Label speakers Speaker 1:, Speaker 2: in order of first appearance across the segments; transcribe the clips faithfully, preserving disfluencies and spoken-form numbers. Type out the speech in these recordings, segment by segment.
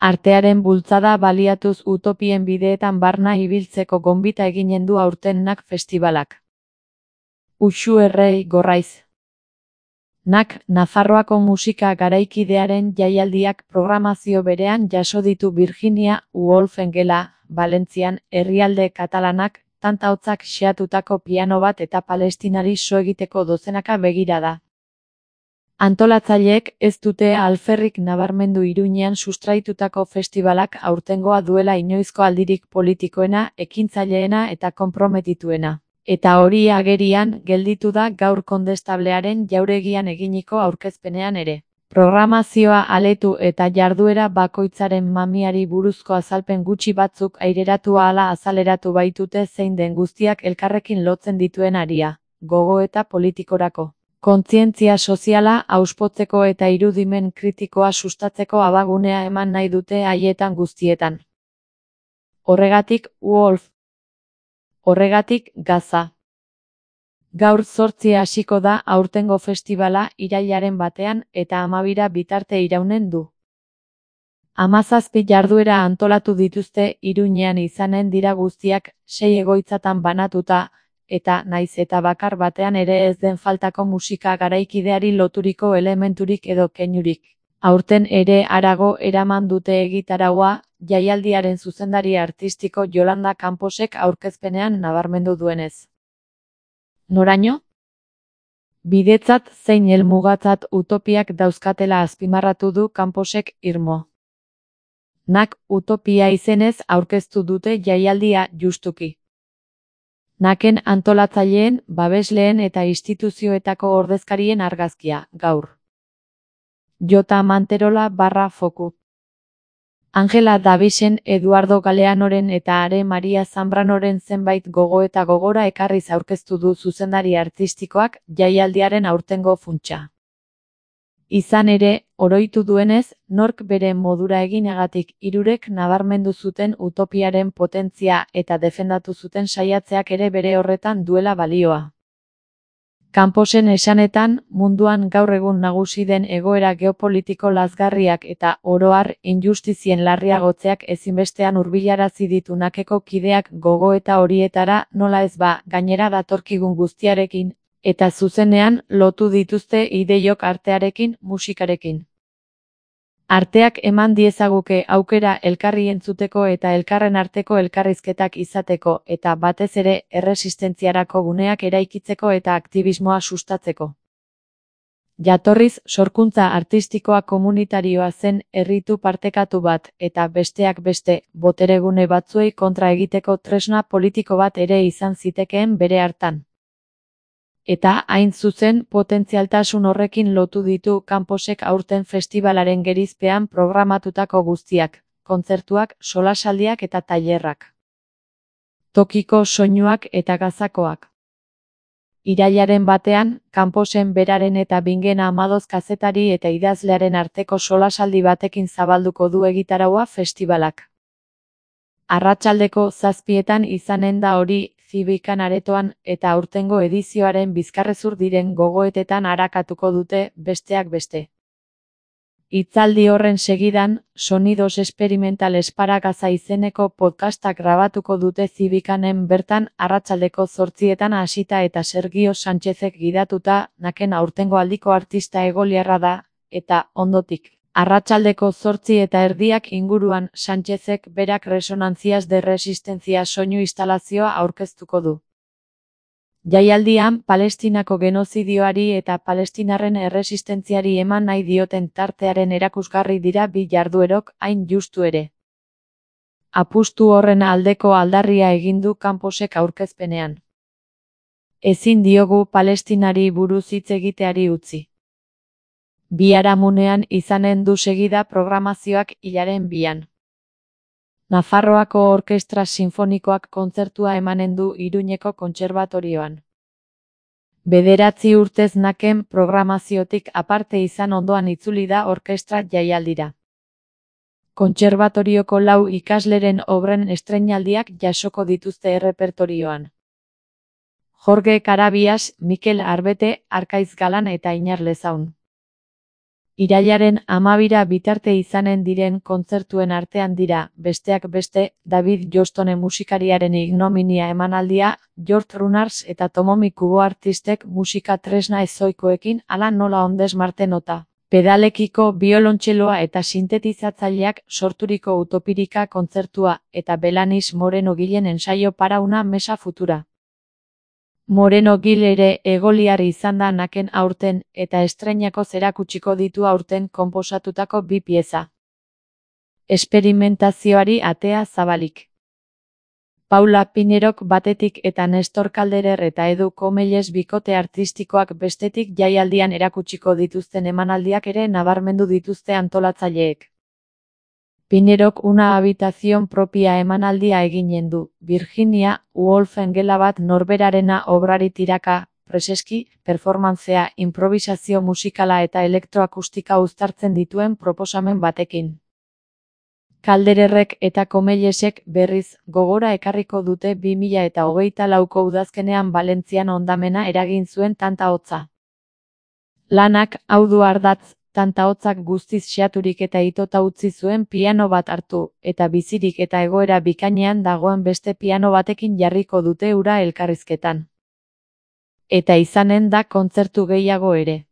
Speaker 1: Artearen bultzada baliatuz utopien bideetan barna ibiltzeko gonbita eginen du aurten N A C festibalak. Uxu Errei Gorraiz. N A C Nafarroako musika garaikidearen jaialdiak programazio berean jaso ditu Virginia Woolfen gela, Valentzian, herrialde katalanak, tanta hotzak xeatutako piano bat eta Palestinari so egiteko dozenaka begirada. Antolatzaileek ez dute alferrik nabarmendu Iruñean sustraitutako festibalak aurtengoa duela inoizko aldirik politikoena, ekintzaileena eta konprometituena. Eta hori agerian gelditu da gaur Kondestablearen jauregian eginiko aurkezpenean ere. Programazioa aletu eta jarduera bakoitzaren mamiari buruzko azalpen gutxi batzuk aireratu ahala azaleratu baitute zein den guztiak elkarrekin lotzen dituen aria, gogoeta politikorako. Kontzientzia soziala hauspotzeko eta irudimen kritikoa sustatzeko abagunea eman nahi dute haietan guztietan. Horregatik, Wolf. Horregatik, Gaza. Gaur zortzi hasiko da aurtengo festivala irailaren batean eta hamabira bitarte iraunen du. Hamazazpi jarduera antolatu dituzte Iruñean izanen dira guztiak sei egoitzatan banatuta, eta naiz eta bakar batean ere ez den faltako musika garaikideari loturiko elementurik edo keinurik. Aurten ere harago eraman dute egitaraua, jaialdiaren zuzendari artistiko Yolanda Camposek aurkezpenean nabarmendu duenez. Noraino? Bidetzat zein helmugatzat utopiak dauzkatela azpimarratu du Camposek irmo. N A C utopia izenez aurkeztu dute jaialdia justuki. N A C-en antolatzaileen, babesleen eta instituzioetako ordezkarien argazkia, gaur. Jota Manterola barra foku. Angela Davisen, Eduardo Galeanoren eta Are Maria Zambranoren zenbait gogoeta gogora ekarriz aurkeztu du zuzendari artistikoak jaialdiaren aurtengo funtsa. Izan ere, oroitu duenez, nork bere modura eginagatik hirurek nabarmendu zuten utopiaren potentzia eta defendatu zuten saiatzeak ere bere horretan duela balioa. Camposen esanetan, munduan gaur egun nagusi den egoera geopolitiko lazgarriak eta oro har injustizien larriagotzeak ezinbestean hurbilarazi ditu N A C-eko kideak gogoeta horietara nola ez ba, gainera datorkigun guztiarekin, eta zuzenean lotu dituzte ideiok artearekin, musikarekin. Arteak eman diezaguke aukera elkarri entzuteko eta elkarren arteko elkarrizketak izateko eta batez ere erresistentziarako guneak eraikitzeko eta aktivismoa sustatzeko. Jatorriz, sorkuntza artistikoa komunitarioa zen erritu partekatu bat eta besteak beste, boteregune batzuei kontra egiteko tresna politiko bat ere izan zitekeen bere hartan. Eta hain zuzen potentzialtasun horrekin lotu ditu Camposek aurten festibalaren gerizpean programatutako guztiak, kontzertuak, solasaldiak eta tailerrak. Tokiko soinuak eta gazakoak. Irailaren batean, Camposen beraren eta Bingen Amadoz kazetari eta idazlearen arteko solasaldi batekin zabalduko du egitaraua festibalak. Arratsaldeko zazpietan izanen da hori, Zibikan aretoan eta aurtengo edizioaren bizkarrezur diren gogoetetan arakatuko dute, besteak beste. Hitzaldi horren segidan, Sonidos Experimentales para Gaza izeneko podcastak grabatuko dute Zibikanen bertan arratsaldeko zortzietan hasita eta Sergio Sánchezek gidatuta, N A C-en aurtengo aldiko artista egoliarra da, eta, ondotik. Arratsaldeko zortzi eta erdiak inguruan Sánchezek berak Resonantzias de Resistencia soinu instalazioa aurkeztuko du. Jaialdian, Palestinako genozidioari eta palestinarren erresistentziari eman nahi dioten tartearen erakusgarri dira bi jarduerok, hain justu ere. Apustu horren aldeko aldarria egin du Camposek aurkezpenean. Ezin diogu Palestinari buruz hitz egiteari utzi. Biharamunean izanen du segida programazioak hilaren bian. Nafarroako Orkestra Sinfonikoak kontzertua emanen du Iruñeko Kontserbatorioan. Bederatzi urtez N A C-en programaziotik aparte izan ondoan itzuli da orkestra jaialdira. Kontserbatorioko lau ikasleren obren estreinaldiak jasoko dituzte errepertorioan. Jorge Carabias, Mikel Arbete, Arkaiz Galan eta Iñar Lezaun. Irailaren hamabira bitarte izanen diren kontzertuen artean dira, besteak beste, David Johnston musikariaren ignominia emanaldia, George Runars eta Tomomi Kubo artistek musika tresna ezoikoekin hala nola ondes Marte nota. Pedalekiko biolontxeloa eta sintetizatzaileak sorturiko Utopirika kontzertua eta Belanis Moreno Gilen ensaio para una mesa futura. Moreno Gil ere egoliar izan da naken aurten eta estreinako zerakutsiko ditu aurten konposatutako bi pieza. Esperimentazioari atea zabalik. Paula Pinerok batetik eta Nestor Calderer eta Edu Komelles bikote artistikoak bestetik jaialdian erakutsiko dituzten emanaldiak ere nabarmendu dituzte antolatzaileek. Pinerok una habitación propia emanaldia eginen du, Virginia Woolfen gela bat norberarena obrari tiraka, preseski, performantzea, improvisazio musikala eta elektroakustika uztartzen dituen proposamen batekin. Caldererrek eta Komellesek berriz gogora ekarriko dute bi mila eta hogeita lauko udazkenean Valentzian hondamena eragin zuen tanta hotza. Lanak hau du ardatz, tanta hotzak guztiz xeaturik eta itota utzi zuen piano bat hartu, eta bizirik eta egoera bikainean dagoen beste piano batekin jarriko dute ura elkarrizketan. Eta izanen da kontzertu gehiago ere.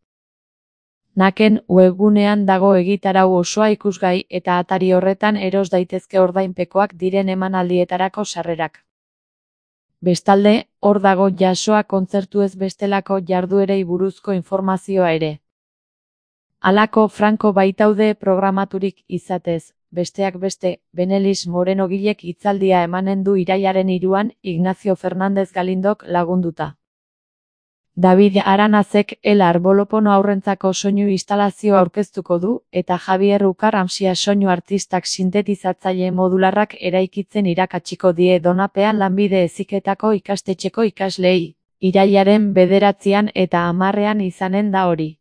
Speaker 1: Naken webgunean dago egitarau osoa ikusgai eta atari horretan eros daitezke ordainpekoak diren emanaldietarako sarrerak. Bestalde, hor dago jasoa kontzertu ez bestelako jarduerei buruzko informazioa ere. Halako franko baitaude programaturik izatez, besteak beste, Benelis Moreno Gilek hitzaldia emanen du irailaren hiruan Ignacio Fernández Galindok lagunduta. David Aranazek El Arbolopono aurrentzako soinu instalazio aurkeztuko du, eta Javier Ukar Amsia soinu artistak sintetizatzaile modularrak eraikitzen irakatsiko die Donapean lanbide heziketako ikastetxeko ikasleei. Irailaren bederatzian eta hamarrean izanen da hori.